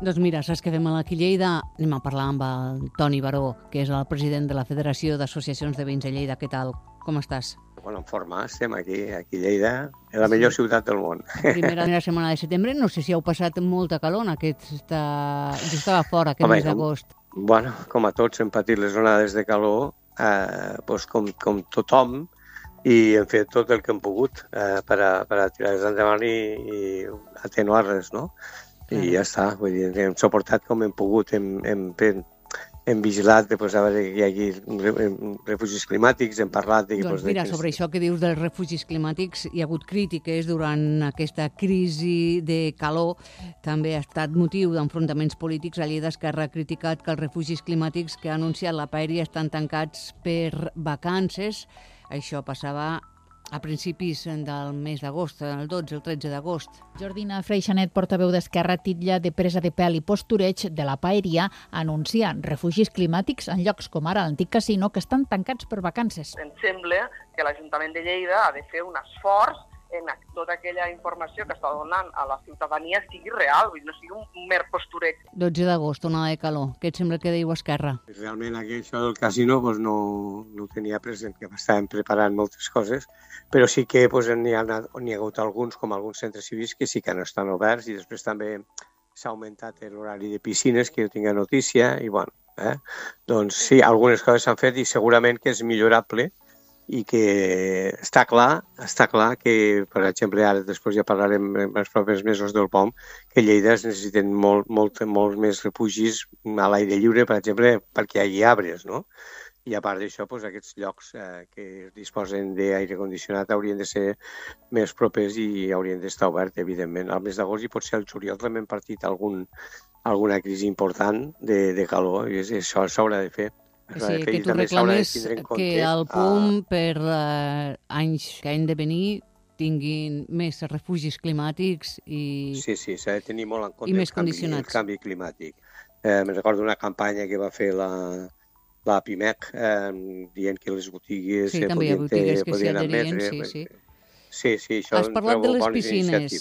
Doncs mira, saps què fem aquí a Lleida? Anem a parlar amb el Toni Baró, que és el president de la Federació d'Associacions de Veïns de Lleida. Què tal? Com estàs? Bueno, en forma, estem aquí a Lleida, és la millor ciutat del món. Primera setmana de setembre, no sé si heu passat molta calor en aquesta... Jo estava fora aquest mes d'agost. Bueno, com a tots hem patit les onades de calor, doncs com tothom, i hem fet tot el que hem pogut per a tirar-les endavant i atenuar-les, no? I ja està, vull dir, hem suportat com hem pogut, hem vigilat, doncs, a veure que hi hagi refugis climàtics, hem parlat... Doncs mira, sobre això que dius dels refugis climàtics, hi ha hagut crítiques durant aquesta crisi de calor, també ha estat motiu d'enfrontaments polítics. A Lleida Esquerra ha criticat que els refugis climàtics que ha anunciat la Paeria estan tancats per vacances. Això passava a principis del mes d'agost, el 12, el 13 d'agost. Jordina Freixanet, portaveu d'Esquerra, titlla de presa de pèl i postureig de la Paeria, anuncia refugis climàtics en llocs com ara l'antic casino que estan tancats per vacances. Em sembla que l'Ajuntament de Lleida ha de fer un esforç en tota aquella informació que està donant a la ciutadania sigui real, no sigui un mer postureig. 12 d'agost, onada de calor. Què et sembla que diu Esquerra? Realment això del casino no ho tenia present, que estàvem preparant moltes coses, però sí que n'hi ha hagut alguns, com alguns centres cívics, que sí que no estan oberts, i després també s'ha augmentat l'horari de piscines, que jo tinc a notícia, i bueno, doncs sí, algunes coses s'han fet i segurament que és millorable, i que està clar que, per exemple, ara després ja parlarem en els propers mesos del POM, que Lleida es necessiten molts més refugis a l'aire lliure, per exemple, perquè hi hagi arbres, no? I a part d'això, doncs, aquests llocs que disposen d'aire condicionat haurien de ser més propers i haurien d'estar oberts, evidentment. Al mes d'agost i potser al juliol també hem partit alguna crisi important de calor, i això s'haurà de fer. Sí, que tu reclames que el POM per anys que han de venir tinguin més refugis climàtics i... Sí, s'ha de tenir molt en compte el canvi climàtic. Me'n recordo una campanya que va fer la PIMEC dient que les botigues podien admetre... Sí, això... Has parlat de les piscines.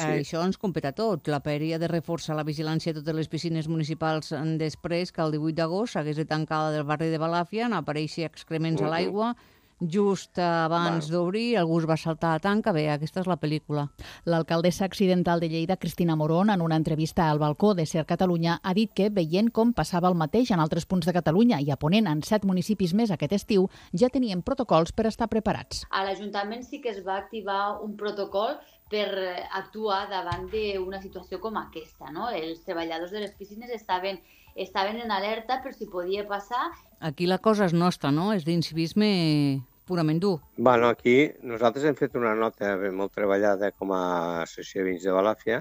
Això ens competeix a tot. La Paeria ha de reforçar la vigilància de totes les piscines municipals després que el 18 d'agost s'hagués de tancar la del barri de Balàfia, n'apareixi excrements a l'aigua. Just abans d'obrir, algú es va saltar a tanca. Bé, aquesta és la pel·lícula. L'alcaldessa accidental de Lleida, Cristina Morón, en una entrevista al balcó de Ser Catalunya, ha dit que, veient com passava el mateix en altres punts de Catalunya i a Ponent en 7 municipis més aquest estiu, ja tenien protocols per estar preparats. A l'Ajuntament sí que es va activar un protocol per actuar davant d'una situació com aquesta, no? Els treballadors de les piscines estaven en alerta per si podia passar. Aquí la cosa és nostra, no? És d'incivisme purament dur. Bueno, aquí nosaltres hem fet una nota molt treballada com a Associació de Veïns de Balàfia,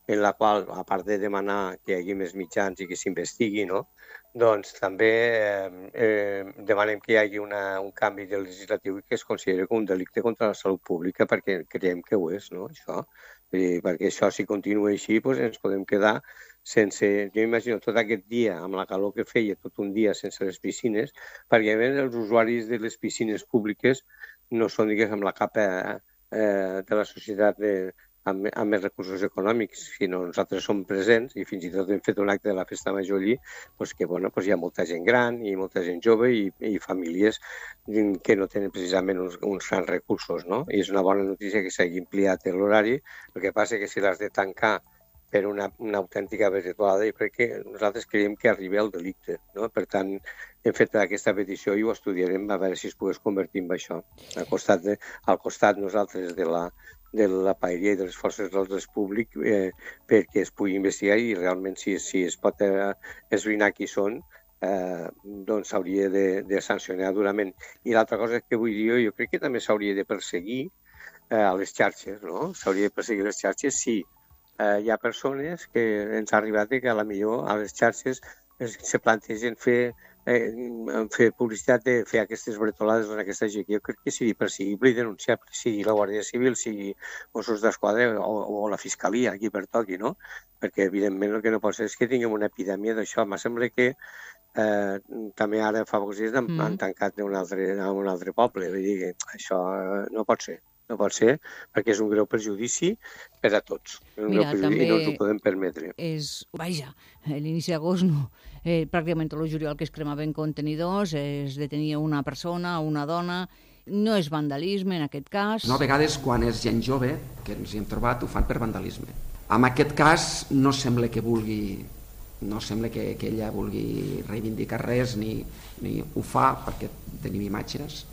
en la qual, a part de demanar que hi hagi més mitjans i que s'investigui, no? Doncs també demanem que hi hagi un canvi de legislatiu que es consideri com un delicte contra la salut pública, perquè creiem que ho és, no? Això. Perquè això, si continua així, doncs ens podem quedar sense... Jo imagino tot aquest dia, amb la calor que feia, tot un dia sense les piscines, perquè els usuaris de les piscines públiques no són, diguéssim, la capa de la societat amb més recursos econòmics, sinó nosaltres som presents i fins i tot hem fet un acte de la Festa Major allí, que hi ha molta gent gran i molta gent jove i famílies que no tenen precisament uns grans recursos, no? I és una bona notícia que s'hagi ampliat l'horari. El que passa és que si l'has de tancar per una autèntica vegetuada, jo crec que nosaltres creiem que arriba al delicte, no? Per tant, hem fet aquesta petició i ho estudiarem a veure si es pogués convertir en això. Al costat nosaltres de la Paeria i de les forces de l'ordre públic perquè es pugui investigar i realment si es pot esbrinar qui són, doncs s'hauria de sancionar durament. I l'altra cosa que vull dir jo crec que també s'hauria de perseguir a les xarxes, no? S'hauria de perseguir les xarxes si hi ha persones que ens ha arribat que potser a les xarxes se plantegen fer publicitat de fer aquestes bretolades en aquesta gent. Jo crec que sigui perseguible i denunciable, sigui la Guàrdia Civil, sigui Mossos d'Esquadra o la Fiscalia, aquí per toqui, no? Perquè, evidentment, el que no pot ser és que tinguem una epidèmia d'això. Em sembla que també ara fa pocs dies han tancat a un altre poble. Vull dir que això no pot ser. no pot ser, perquè és un greu perjudici per a tots. És un greu perjudici i no ens ho podem permetre. Vaja, l'inici d'agost no. Pràcticament tot el juliol que es cremaven contenidors, es detenia una persona, una dona. No és vandalisme en aquest cas. No, a vegades quan és gent jove, que ens hi hem trobat, ho fan per vandalisme. En aquest cas no sembla que ella vulgui reivindicar res ni ho fa perquè tenim imatges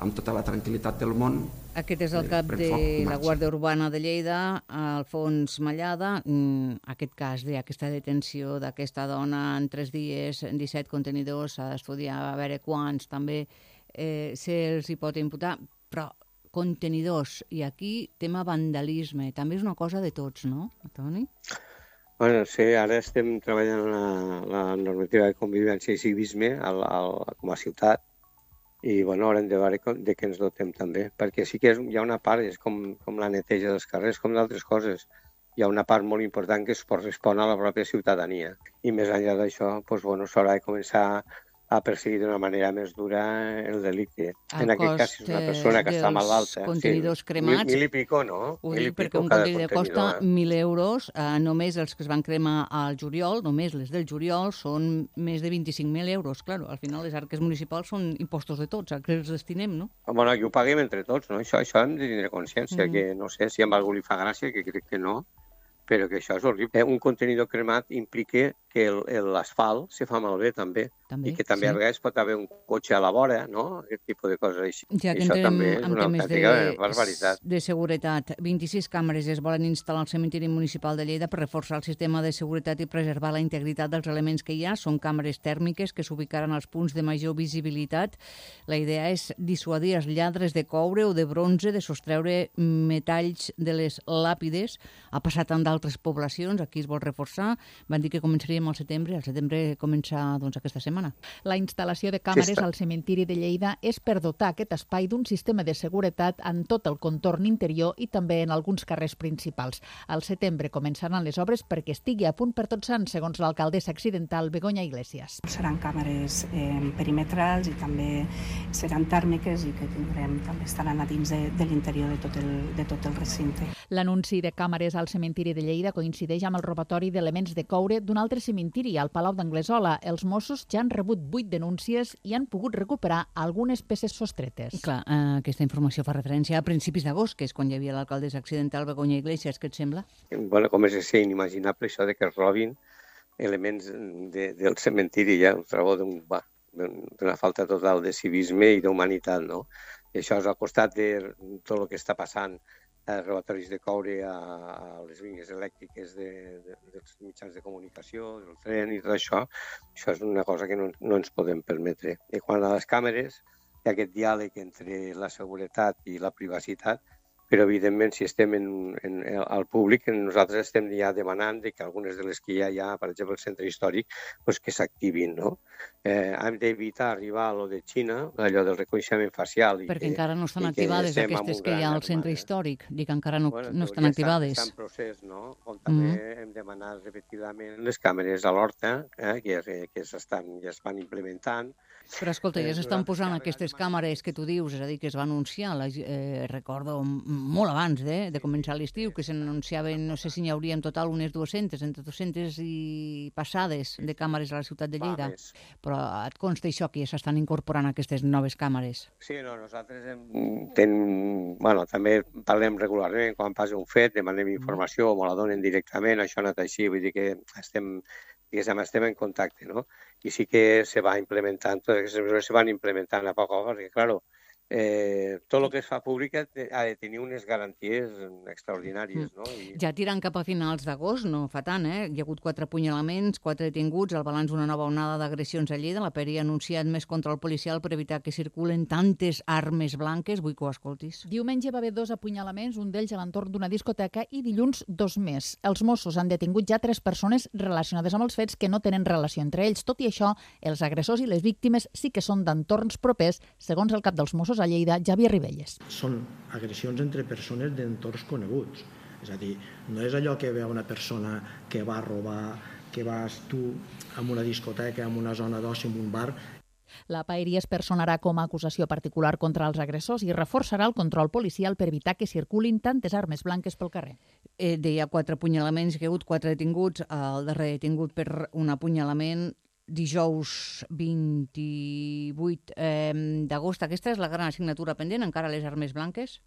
amb tota la tranquil·litat del món. Aquest és el cap de la Guàrdia Urbana de Lleida, Alfons Mallada. Aquest cas d'aquesta detenció d'aquesta dona en 3 dies, en 17 contenidors, s'ha d'estudiar a veure quants també se'ls hi pot imputar, però contenidors, i aquí tema vandalisme, també és una cosa de tots, no, Toni? Bueno, sí, ara estem treballant la normativa de convivència i civisme com a ciutat i bueno, haurem de veure de què ens dotem també, perquè sí que hi ha una part, és com la neteja dels carrers, com d'altres coses. Hi ha una part molt important que es correspon a la pròpia ciutadania i més enllà d'això s'haurà de començar a perseguir d'una manera més dura el delicte. En aquest cas, si és una persona que està malalta... Contenidors cremats... 1.000 i pico, no? Ho dic perquè un contenidor costa 1.000 euros. Només els que es van cremar al juliol, només les del juliol, són més de 25.000 euros. Claro, al final les arques municipals són impostos de tots, a què els destinem, no? Bueno, i ho paguem entre tots, no? Això hem de tindre consciència, que no sé si a algú li fa gràcia, que crec que no, però que això és horrible. Un contenidor cremat implica que l'asfalt se fa malbé també i que també a vegades pot haver un cotxe a la vora, no? Aquest tipus de coses així. Ja que entrem en temes de seguretat. 26 càmeres es volen instal·lar al cementiri municipal de Lleida per reforçar el sistema de seguretat i preservar la integritat dels elements que hi ha. Són càmeres tèrmiques que s'ubicaran als punts de major visibilitat. La idea és dissuadir els lladres de coure o de bronze de sostreure metalls de les làpides. Ha passat en d'altres poblacions, aquí es vol reforçar. Van dir que començaríem al setembre comença aquesta setmana. La instal·lació de càmeres al cementiri de Lleida és per dotar aquest espai d'un sistema de seguretat en tot el contorn interior i també en alguns carrers principals. Al setembre començaran les obres perquè estigui a punt per Tots Sants, segons l'alcaldessa accidental Begoña Iglesias. Seran càmeres perimetrals i també seran tèrmiques i que també estaran a dins de l'interior de tot el recinte. L'anunci de càmeres al cementiri de Lleida coincideix amb el robatori d'elements de coure d'un altre cementiri, al Palau d'Anglesola. Els Mossos ja han rebut 8 denúncies i han pogut recuperar algunes peces sostretes. Clar, aquesta informació fa referència a principis d'agost, que és quan hi havia l'alcaldessa accidental Begoña Iglesias. Què et sembla? Bueno, com és inimaginable això de que es robin elements del cementiri, ja ho trobo d'una falta total de civisme i d'humanitat, no? I això és al costat de tot el que està passant, robatoris de coure a les línies elèctriques dels mitjans de comunicació, del tren i tot això. Això és una cosa que no ens podem permetre. I quan a les càmeres hi ha aquest diàleg entre la seguretat i la privacitat, però evidentment si estem al públic, nosaltres estem ja demanant que algunes de les que ja hi ha, per exemple el centre històric, que s'activin, no? Hem d'evitar arribar a lo de Xina, allò del reconeixement facial. Perquè encara no estan activades aquestes que hi ha al centre històric. Dic, encara no estan activades. Està en procés, no? Com també hem demanat repetidament les càmeres a l'Horta, que ja es van implementant. Però escolta, ja s'estan posant aquestes càmeres que tu dius, és a dir, que es va anunciar, recordo molt abans de començar l'estiu, que s'anunciaven, no sé si n'hi hauria en total unes 200, entre 200 i passades de càmeres a la ciutat de Lleida. Però et consta això, que ja s'estan incorporant aquestes noves càmeres? Sí, no, nosaltres també parlem regularment, quan passa un fet, demanem informació, o la donen directament, això no és així, vull dir que estem en contacte, no? I sí que se va implementant, totes aquestes mesures se van implementant a poc a poc, perquè, clar, tot el que es fa públic ha de tenir unes garanties extraordinàries, no? Ja tirant cap a finals d'agost, no fa tant, Hi ha hagut 4 apunyalaments, 4 detinguts, el balanç d'una nova onada d'agressions a Lleida. La PERI ha anunciat més control policial per evitar que circulen tantes armes blanques. Vull que ho escoltis. Diumenge va haver 2 apunyalaments, un d'ells a l'entorn d'una discoteca, i dilluns 2 més. Els Mossos han detingut ja 3 persones relacionades amb els fets que no tenen relació entre ells. Tot i això, els agressors i les víctimes sí que són d'entorns propers, segons el cap dels Mossos a Lleida, Javier Ribelles. Són agressions entre persones d'entorns coneguts. És a dir, no és allò que veu una persona que va robar, que vas tu a una discoteca, en una zona d'oci, en un bar. La PAERI es personarà com a acusació particular contra els agressors i reforçarà el control policial per evitar que circulin tantes armes blanques pel carrer. Deia 4 apunyalaments, que hi ha hagut 4 detinguts. El darrer detingut per un apunyalament dijous 28 d'agost. Aquesta és la gran assignatura pendent, encara les armes blanques?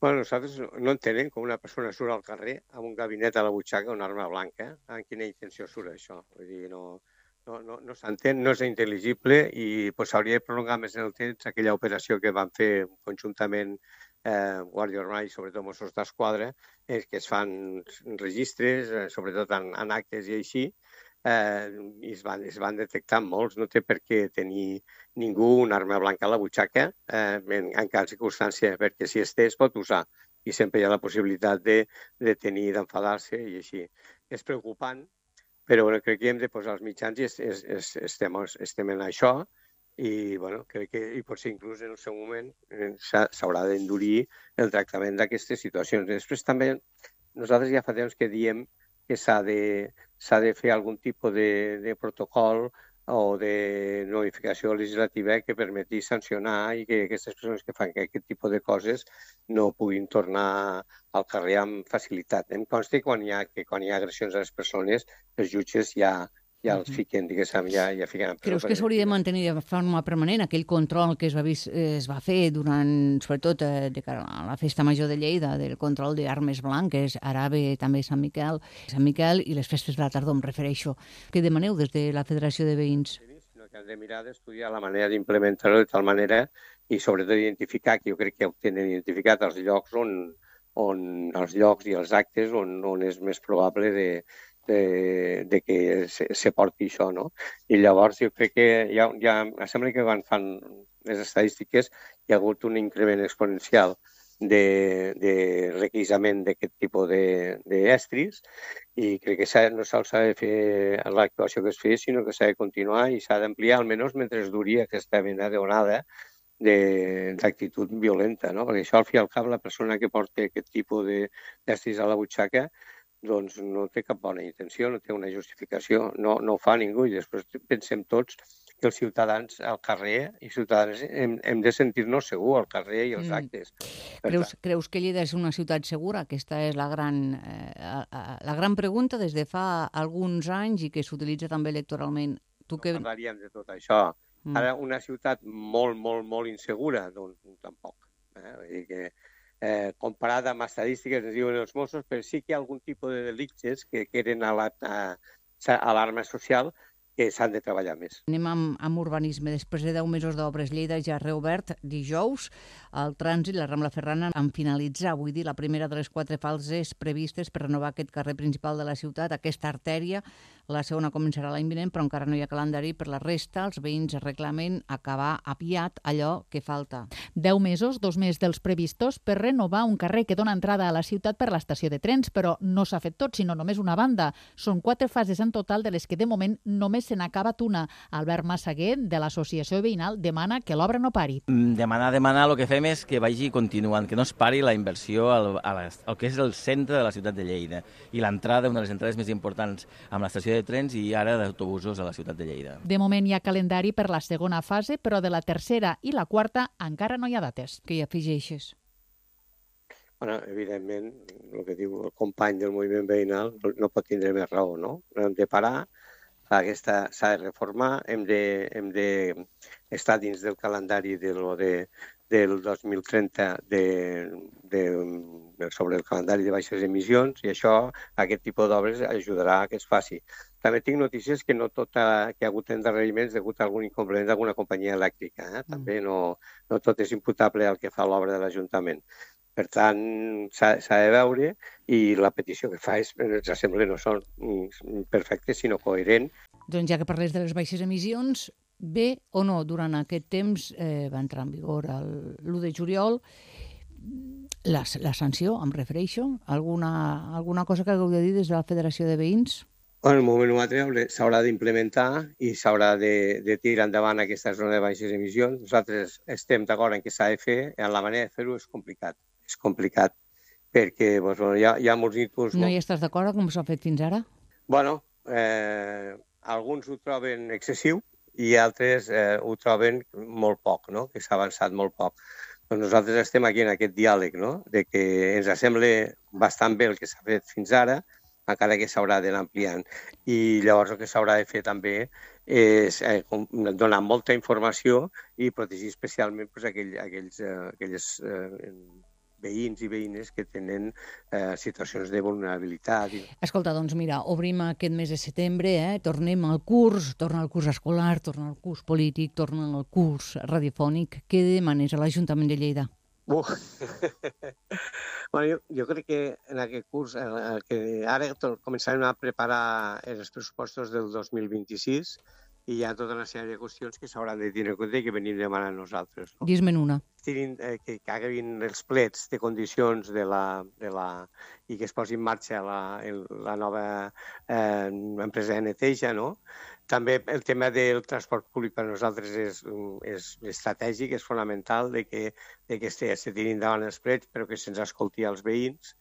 Bueno, nosaltres no entenem com una persona surt al carrer amb un gabinet a la butxaca, una arma blanca. Amb quina intenció surt això? Vull dir, no s'entén, no és intel·ligible i s'hauria de prolongar més en el temps aquella operació que van fer conjuntament Guàrdia Urbana i sobretot Mossos d'Esquadra, que es fan registres, sobretot en actes i així, i es van detectar molts. No té per què tenir ningú una arma blanca a la butxaca en cap circumstància, perquè si es té es pot usar i sempre hi ha la possibilitat de tenir, d'enfadar-se i així. És preocupant, però crec que hem de posar els mitjans i estem en això i crec que potser inclús en el seu moment s'haurà d'endurir el tractament d'aquestes situacions. Després també nosaltres ja fa temps que diem que s'ha de fer algun tipus de protocol o de notificació legislativa que permeti sancionar i que aquestes persones que fan aquest tipus de coses no puguin tornar al carrer amb facilitat. Em consta que quan hi ha agressions a les persones, els jutges ja els fiquen, diguéssim, ja fiquen en presó. Creus que s'hauria de mantenir de forma permanent aquell control que es va fer durant, sobretot de cara a la Festa Major de Lleida, del control d'armes blanques, ara ve també Sant Miquel i les festes de la tardor, em refereixo. Què demaneu des de la Federació de Veïns? Sinó que hem de mirar d'estudiar la manera d'implementar-ho de tal manera i sobretot identificar, que jo crec que ho tenen identificat, els llocs els llocs i els actes on és més probable de que se porti això, no? I llavors jo crec que sembla que quan fan les estadístiques hi ha hagut un increment exponencial de requisament d'aquest tipus d'estris i crec que no sols s'ha de fer l'actuació que es feia, sinó que s'ha de continuar i s'ha d'ampliar, almenys mentre duri aquesta mena d'onada d'actitud violenta, no? Perquè això, al fi i al cap, la persona que porta aquest tipus d'estris a la butxaca doncs no té cap bona intenció, no té una justificació, no ho fa ningú i després pensem tots que els ciutadans al carrer i ciutadans hem de sentir-nos segurs al carrer i als actes. Creus que Lleida és una ciutat segura? Aquesta és la gran pregunta des de fa alguns anys i que s'utilitza també electoralment. No parlaríem de tot això. Ara, una ciutat molt, molt, molt insegura, doncs tampoc. Vull dir que comparada amb estadístiques, ens diuen els Mossos, però sí que hi ha algun tipus de delictes que eren alarma social que s'han de treballar més. Anem amb urbanisme. Després de 10 mesos d'obres, Lleida ja ha reobert dijous. El trànsit, la Rambla Ferrana, en finalitzar, vull dir, la primera de les 4 fases previstes per renovar aquest carrer principal de la ciutat, aquesta artèria. La segona començarà l'any vinent, però encara no hi ha calendari. Per la resta, els veïns reclamen acabar aviat allò que falta. 10 mesos, 2 més dels previstos, per renovar un carrer que dona entrada a la ciutat per l'estació de trens, però no s'ha fet tot, sinó només una banda. Són 4 fases en total, de les que de moment només se n'ha acabat una. Albert Massaguer, de l'associació veïnal, demana que l'obra no pari. Demanar, el que fem és que vagi continuant, que no es pari la inversió al que és el centre de la ciutat de Lleida i l'entrada, una de les entrades més importants amb l'estació de trens i ara d'autobusos a la ciutat de Lleida. De moment hi ha calendari per la segona fase, però de la tercera i la quarta encara no hi ha dates. Què hi afegeixes? Bueno, evidentment, el que diu el company del moviment veïnal no pot tindre més raó, no? No hem de parar, s'ha de reformar, hem d'estar dins del calendari del 2030 sobre el calendari de baixes emissions i això, aquest tipus d'obres, ajudarà a que es faci. També tinc notícies que no tot que hi ha hagut endarreriments degut a algun inconvenient d'alguna companyia elèctrica. També no tot és imputable al que fa l'obra de l'Ajuntament. Per tant, s'ha de veure i la petició que fa ens sembla no són perfectes, sinó coherents. Doncs ja que parles de les baixes emissions, bé o no, durant aquest temps va entrar en vigor l'1 de juliol, la sanció, em refereixo, alguna cosa que hagueu de dir des de la Federació de Veïns? En el moment o altre s'haurà d'implementar i s'haurà de tirar endavant aquesta zona de baixes emissions. Nosaltres estem d'acord en que s'ha de fer, en la manera de fer-ho és complicat. És complicat perquè hi ha molts tipus... No hi estàs d'acord com s'ha fet fins ara? Bueno, alguns ho troben excessiu i altres ho troben molt poc, no? Que s'ha avançat molt poc. Doncs nosaltres estem aquí en aquest diàleg, no? De que ens sembla bastant bé el que s'ha fet fins ara, encara que s'haurà d'anar ampliant. I llavors el que s'haurà de fer també és donar molta informació i protegir especialment aquells veïns i veïnes que tenen situacions de vulnerabilitat. Escolta, doncs mira, obrim aquest mes de setembre, tornem al curs, torna al curs escolar, torna al curs polític, torna al curs radiofònic. Què demanes a l'Ajuntament de Lleida? Bueno, jo crec que en aquest curs, que ara començarem a preparar els pressupostos del 2026 i hi ha tota una sèrie de qüestions que s'hauran de tenir en compte i que venim demanant nosaltres. No? Dis-me'n una. Que acabin els plets de condicions i que es posi en marxa la nova empresa de neteja, no? També el tema del transport públic per a nosaltres és estratègic, és fonamental de que se tirin endavant els plets, però que se'ns escolti als veïns.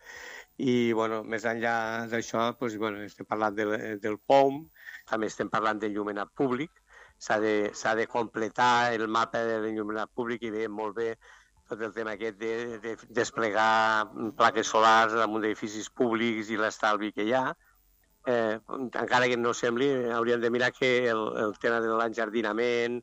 I més enllà d'això, estem parlant del POM, també estem parlant d'enllumenat públic. S'ha de completar el mapa de l'enllumenat públic i veiem molt bé tot el tema aquest de desplegar plaques solars damunt d'edificis públics i l'estalvi que hi ha. Encara que no sembli, hauríem de mirar que el tema de l'enjardinament,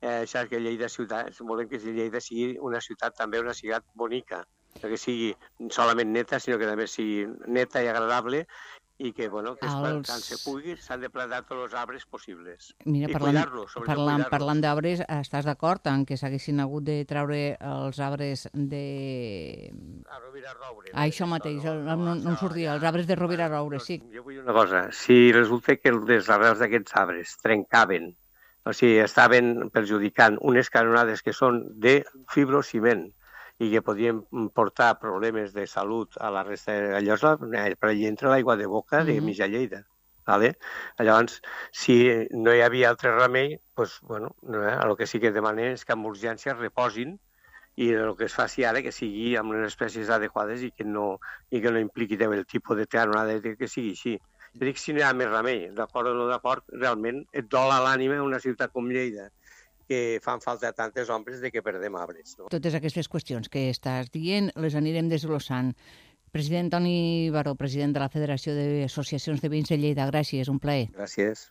això que Lleida ciutat, volem que Lleida sigui una ciutat també una ciutat bonica, no que sigui solament neta, sinó que també sigui neta i agradable i que, tant se pugui, s'han de plantar tots els arbres possibles. Mira, i cuidar-los, sobretot cuidar-los. Parlant d'arbres, estàs d'acord en que s'haguessin hagut de treure els arbres de... A Rovira Roure. Això mateix, no em sortia, els arbres de Rovira Roure, sí. Jo vull una cosa, si resulta que les arrels d'aquests arbres trencaven, o sigui, estaven perjudicant unes canonades que són de fibrociment, i que podien portar problemes de salut a la resta de llocs, per allà entra l'aigua de boca de mitja Lleida. Vale? Llavors, si no hi havia altre remei, el que sí que demanem és que amb urgència reposin i el que es faci ara que sigui amb unes espècies adequades i que no impliqui el tipus de canonada que sigui així. Jo dic si no hi ha més remei, d'acord o no d'acord, realment et dol a l'ànima una ciutat com Lleida, que fan falta tantes ombres de que perdem arbres. No? Totes aquestes qüestions que estàs dient les anirem desglossant. President Toni Baró, president de la Federació d'Associacions de Veïns de Lleida, gràcies, un plaer. Gràcies.